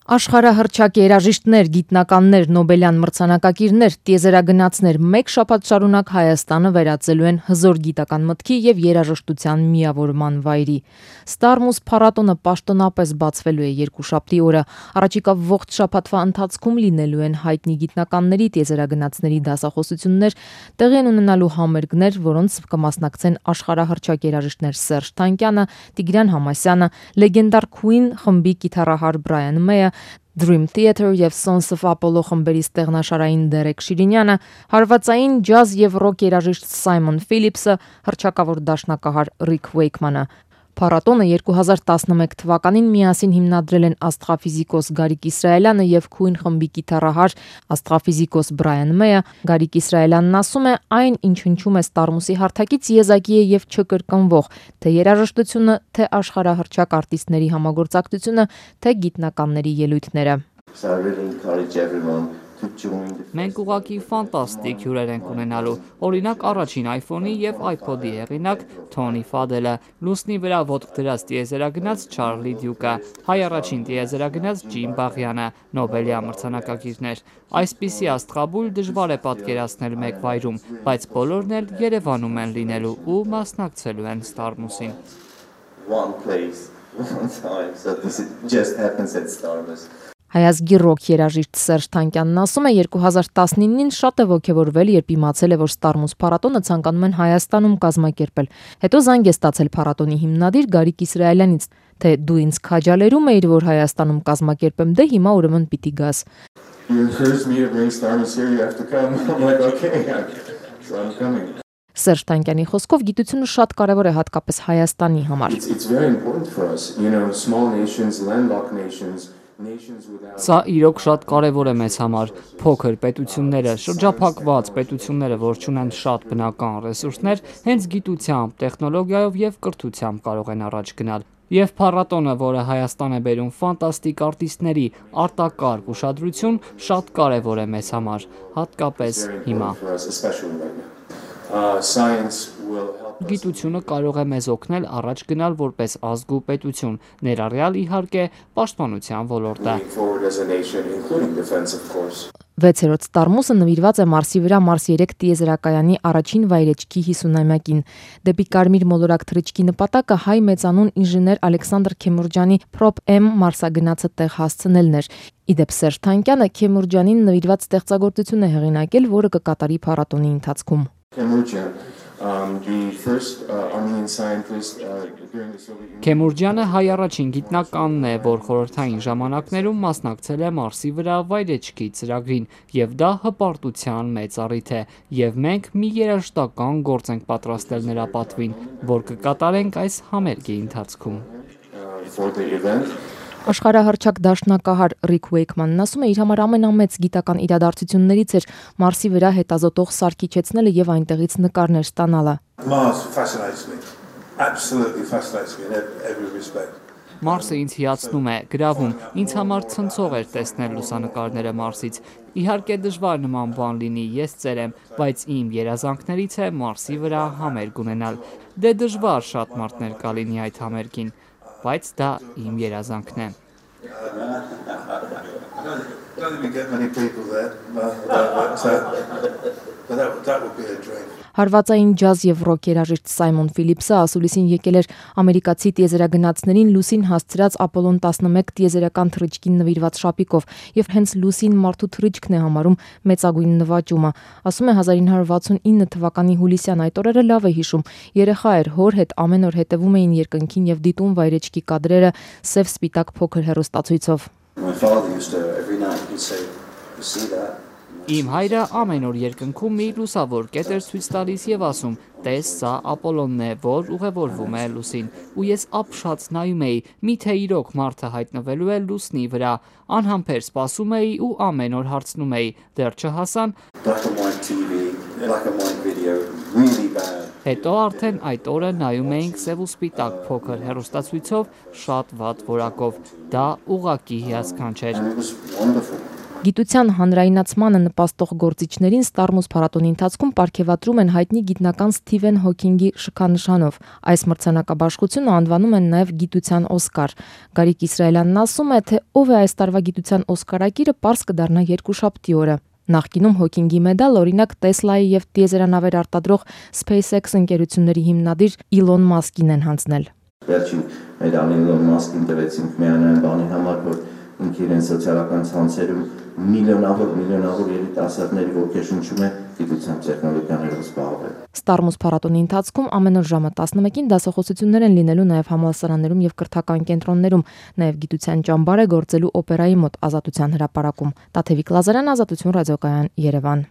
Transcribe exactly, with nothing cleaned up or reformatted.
Աշխարհահռչակ երաժիշտներ, գիտնականներ, Նոբելյան մրցանակակիրներ, տիեզերագնացներ մեկ շաբաթ շարունակ Հայաստանը վերածելու են հզոր գիտական մտքի եւ երաժշտության միավորման վայրի։ Ստարմուս փառատոնը պաշտոնապես բացվելու է երկուշաբթի օրը։ Առաջիկա ողջ շաբաթվա ընթացքում լինելու են հայտնի գիտնականների, տիեզերագնացների դասախոսություններ, տեղի են ունենալու համերգներ, որոնց կմասնակցեն աշխարհահռչակ երաժիշտներ Սերժ Թանկյանը, Տիգրան Համասյանը, լեգենդար Queen խմբի կիթառահար Բրայան Մեյը, Dream Theater եւ Sons of Apollo խմբերի ստեղնաշարային Դերեկ Շիրինյանը, հարվածային ջազ եւ ռոք երաժիշտ Սայմոն Ֆիլիպսը, հռչակավոր դաշնակահար Ռիկ Վեյքմանը։ Փառատոնը երկու հազար տասնմեկ թվականին միասին հիմնադրել են աստրոֆիզիկոս Գարիկ Իսրայելյանը եւ Queen խմբի կիթառահար աստրոֆիզիկոս Բրայան Մեյը։ Գարիկ Իսրայելյանն ասում է, այն ինչ հնչում է Ստարմուսի հարթակից եզակի է եւ չկրկնվող, թե երաժշտությունը, թե աշխարհահռչակ արտիստների համագործակցությունը, թե գիտնականների ելույթները։ Մենք ուղղակի ֆանտաստիկ հյուրեր ենք ունենալու, օրինակ առաջին iPhone-ի եւ iPod-ի հեղինակ Թոնի Ֆադելը, լուսնի վրա ոտք դրած տիեզերագնաց Չարլի Դյուկը, հայ առաջին տիեզերագնաց Ջիմ Բաղյանը, Նոբելյան մրցանակակիրներ։ Այսպիսի աստղաբույլ դժվար է պատկերացնել մեկ վայրում, բայց բոլորն էլ Երևանում են լինելու ու մասնակցելու են Ստարմուսին։ Հայազգի ռոք երաժիշտ Սերժ Թանկյանն ասում է, երկու հազար տասնինին շատ է ոգևորվել, երբ իմացել է, որ Ստարմուս փառատոնը ցանկանում են Հայաստանում կազմակերպել։ Հետո զանգ է ստացել փառատոնի հիմնադիր Գարիկ Իսրայելյանից, թե դու ինձ քաջալերում էիր, որ Հայաստանում կազմակերպեմ, դե հիմա ուրեմն պիտի գաս։ Սերժ Թանկյանի խոսքով գիտությունը շատ կարևոր է հատկապես Հայաստանի համար։ Սա իրոք շատ կարևոր է մեզ համար։ Փոքր պետությունները, շրջափակված պետությունները, որ չունեն շատ բնական ռեսուրսներ, հենց գիտությամբ, տեխնոլոգիայով եւ կրթությամբ կարող են առաջ գնալ։ Եվ փառատոնը, որը Հայաստան է բերում ֆանտաստիկ արտիստների արտակարգ ուշադրություն, շատ կարևոր է մեզ համար, հատկապես հիմա։ Գիտությունը կարող է մեզ օգնել առաջ գնալ որպես ազգ ու պետություն, ներառյալ իհարկե պաշտպանության ոլորտը։ Վեցերորդ Ստարմուսը նվիրված է Մարսի վրա Մարս երեք տիեզերակայանի առաջին վայրեջքի հիսունամյակին։ Դեպի կարմիր մոլորակ թռիչքի նպատակը հայ մեծանուն ինժեներ Ալեքսանդր Քեմուրջյանի Prop-M մարսագնացը տեղ հասցնելն էր։ Իդեպ Սերժ Թանկյանը Քեմուրջյանին նվիրված ստեղծագործություն է հեղինակել, որը կկատարի փառատոնի ընթացքում։ Քեմուրջյանը հայ առաջին գիտնականն է, որ խորհրդային ժամանակներում մասնակցել է Մարսի վրա վայրեջքի ծրագրին, եւ դա հպարտության մեծ առիթ է, եւ մենք մի երաժշտական գործ ենք պատրաստել նրա պատվին, որ կկատարենք այս համերգի ընթացքում։ Աշխարհահռչակ դաշնակահար Ռիկ Վեյքմանն ասում է, իր համար ամենամեծ գիտական իրադարձություններից էր Մարսի վրա հետազոտող սարք իջեցնելը եւ այնտեղից նկարներ ստանալը։ Մարսը ինձ հիացնում է, գրավում, ինձ համար ցնցող էր տեսնել լուսանկարները Մարսից։ Իհարկե դժվար նման բան լինի, ես ծեր եմ, բայց իմ երազանքներից է Մարսի վրա համերգ ունենալ։ Դե դժվար շատ մարդներ կլինի այդ համերգին, բայց դա իմ երազանքն է։ Հարվածային ջազ եւ ռոք երաժիշտ Սայմոն Ֆիլիպսը ասուլիսին եկել էր ամերիկացի տիեզերագնացներին լուսին հասցրած Ապոլոն տասնմեկ տիեզերական թռիչքին նվիրված շապիկով եւ հենց լուսին մարդու թռիչքն է համարում մեծագույն նվաճումը։ Ասում է հազար ինը հարյուր վաթսունինը թվականի հուլիսյան այդ օրերը լավ է հիշում։ Երեխա էր, հոր հետ ամեն օր հետևում էին երկնքին եւ դիտում վայրեջքի կադրերը սև սպիտակ փոքր հեռուստացույցով։ Իմ հայրը ամեն օր երկնքում մի լուսավոր կետ էր ցույց տալիս եւ ասում. «Տես, սա Ապոլոնն է, որ ուղևորվում է լուսին»։ Ու ես ապշած նայում էի, միթե իրոք մարդը հայտնվելու է լուսնի վրա։ Անհամբեր սպասում էի ու ամեն օր հարցնում էի. դեռ չհասան։ Հետո արդեն այդ օրը նայում էինք սև ու սպիտակ փոքր հեռուստացույցով շատ վատ որակով։ Դա ուղղակի հիասքանչ էր։ Գիտության հանրայնացմանը նպաստող գործիչներին Ստարմուս փառատոնի ընթացքում պարգևատրում են հայտնի գիտնական Սթիվեն Հոքինգի շքանշանով։ Այս մրցանակաբաշխությունը անվանում են նաև գիտության Օսկար։ Գարիկ Իսրայելյանն ասում է, թե ով է այս տարվա գիտության Օսկարակիրը, պարզ կդառնա երկուշաբթի օրը։ Նախկինում Հոքինգի մեդալ օրինակ Տեսլայի եւ տիեզերանավեր արտադրող SpaceX ընկերությունների հիմնադիր Իլոն Մասկին են հանձնել։ Վերջին մեդալը Իլոն Մասկին տվեցինք միանային բանի համար, որ ինքը իրեն սոցիալական ցանցերում միլիոնավոր միլիոնավոր երիտասարդների ոգեշնչում է գիտության տեխնոլոգիաներով զբաղվել։ Ստարմուս փառատոնի ընթացքում ամեն օր ժամը տասնմեկին դասախոսություններ են լինելու նաև համալսարաններում եւ կրթական կենտրոններում, նաև գիտության ճամբար է գործելու օպերայի մոտ Ազատության հրապարակում։ Տաթևիկ Լազարյան, Ազատություն ռադիոկայան, Երևան։